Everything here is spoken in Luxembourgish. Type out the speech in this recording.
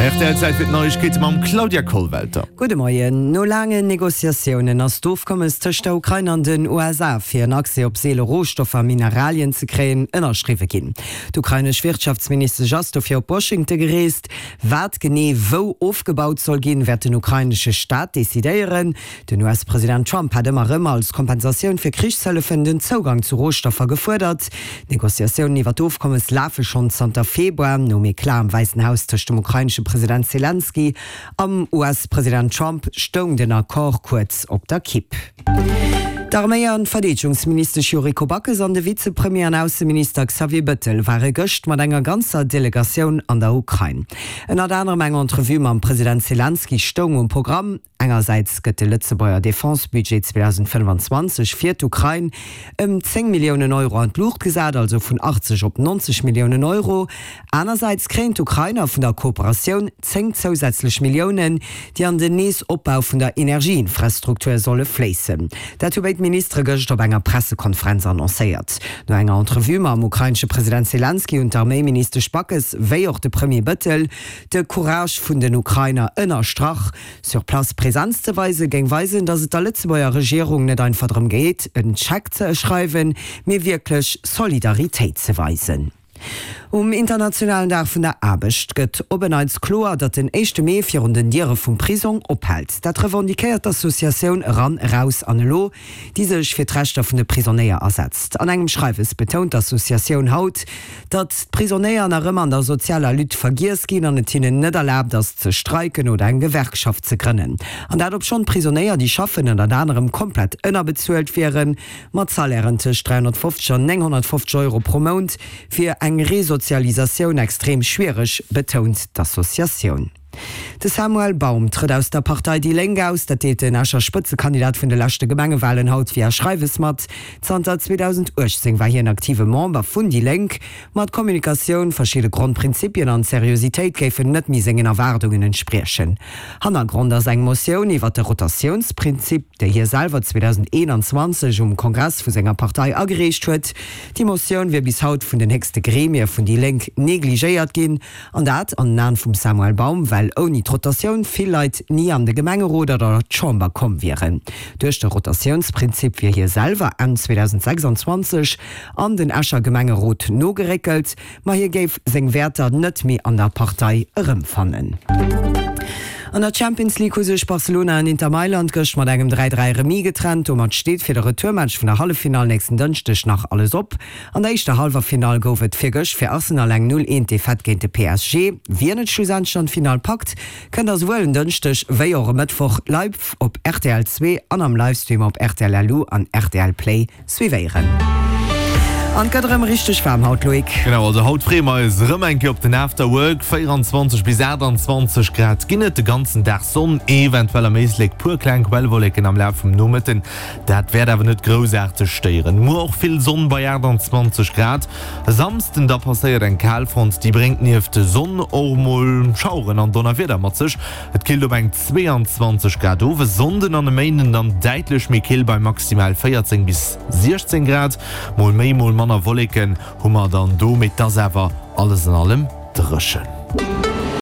Rtl Zäit fir d'Neiegkeete mam Claudia Kollwelter. Gudde Moien. No laangen Negociatiounen ass d'Ofkommes tëscht der Ukrain an den USA, fir en Accès op seele Rohstoffer a Mineralien ze kréien, ënnerschriwwe ginn. D'ukrainesch Wirtschaftsministesch ass dofir op Washington gereest. Wat genee wou ofgebaut soll ginn, wäert den ukrainesche Staat decidéieren. Den US-President Trump hat ëmmer erëm als Kompensatioun fir Krichshëllefen den Zougang zu Rohstoffer gefuerdert. D'Negociatiounen iwwer d'Ofkommes lafe schonn zanter Februar. Nom Eclat am Wäissen Haus tëscht dem ukrainesche President Selenskyj am US-President Trump stoung den Accord kuerz op der Kipp. D'Arméi an d'Verdeedegungsministesch Yuriko Backes an de Vizepremier an Ausseminister Xavier Bëttel ware gëscht mat enger ganzer Delegatioun an der Ukrain. Ënnert anerem eng Entrevue mam President Selenskyj stoung um Programm. Engersäits gëtt de Lëtzebuerger Defense-Budget 2025 fir d'Ukrain ëm 10 Milliounen Euro an d'Luucht gesat, also vun 80 op 90 Milliounen Euro. Anersäits kréien d'Ukrainer vun der Kooperatioun 10 zousätzlech Milliounen, déi an den Neesopbau vun der Energieinfrastruktur solle fléissen. Dat hu béid Ministere gëscht op enger Pressekonferenz annoncéiert. No enger Entrevue mam ukrainesche President Selenskyj hunn d'Arméiministesch Backes wéi och de Premier Bëttel de Courage vun den Ukrainer ënnerstrach. Sur place Präsenz ze weisen, géing weisen, datt et der Lëtzebuerger Regierung net einfach drëm geet, en Scheck ze schreiwen, mee wierklech Solidaritéit ze weisen. Um internationalen Dag vun der Aarbecht gëtt op en Neits kloer, datt den éischte Mee virun den Diere vum Prisong ophält. Dat revendiquéiert d'Associatioun Eran, Eraus an Elo, déi sech fir d'Rechter vun de Prisonéier asetzt. An engem Schreiwes betount d'Associatioun haut, datt d'Prisonéier nach ëmmer an der sozialer Lutte vergiess ginn an et hinnen net erlaabt ass ze streiken oder eng Gewerkschaft ze grënnen. An dat obschonn d'Prisonéier, déi schaffen, ënnert anerem komplett ënnerbezuelt wieren, mat Salairen tëscht 350 an 950 Euro pro Mount, wier eng Resozialisatioun extrem schwiereg, betount d'Associatioun. De Samuel Baum trëtt aus der Partei déi Lénk aus. Dat deelt den Escher Spëtzekandidat vun de leschte Gemengewalen haut via Schreiwes mat. Zanter 2018 war hien aktive Member vun déi Lénk. Ma d'Kommunikatioun, verschidde Grondprinzipien an d'Seriositéit géifen net méi sengen Erwaardungen entspriechen. Hannergrond ass eng Motioun iwwer de Rotatiounsprinzip, déi hie selwer 2021 um Kongress vu senger Partei agereecht huet. Déi Motioun wier bis haut vun den héchste Gremie vun déi Lénk negligéiert ginn. An dat an den Aen vum Samuel Baum, well ouni d'Rotatioun vill Leit ni an de Gemengerot oder d'Chamber komm wieren. Duerch de Rotatiounsprinzip wier hie selwer Enn 2026 an den Escher Gemengerot nogeréckelt, ma hie géif seng Wäerter net méi an der Partei erëmfannen. An der Champions League hu sech Barcelona an Inter Mailand gëscht mat engem 3, 3 Remis getrennt. Domat steet fir de Retourmatch vun der Halleffinall nächsten Dënschdeg nach alles op. An der éischter Hallwerfinall gouf et virgëscht fir Arsenal eng 0, 1 Defaite géint de PSG. Wien et schlussendlech an d'Finall packt, kënnt der souwuel en Dënschdeg wéi och e Mëttwoch live op rtl 2 an am Livestream op rtl LU an rtl Play suivéieren. An et gëtt erëm richteg waarm haut, Loïc. Genau, also haut freeë mer eis erëm eng Kéier op den After Work. 24 bis 28 Grad ginn et, de ganzen Dag Sonn, eventuell am Éislek puer kleng Quellwolleken am Laf vum Nomëtten. Dat wäert awer net groussaarteg stéieren. Muer och vill Sonn bei 28 Grad. E Samsden da passéiert eng Kalfront, déi bréngt nieft Sonn och mol Schaueren an Donnerwieder mat sech. Et killt op eng 22 Grad of. E Sonnden an e Méinden dann däitlech méi kill bei maximal 14 bis 16 Grad. Mol méi, mol manner Wolleken hu mer dann do, mee et ass awer alles an allem dréchen.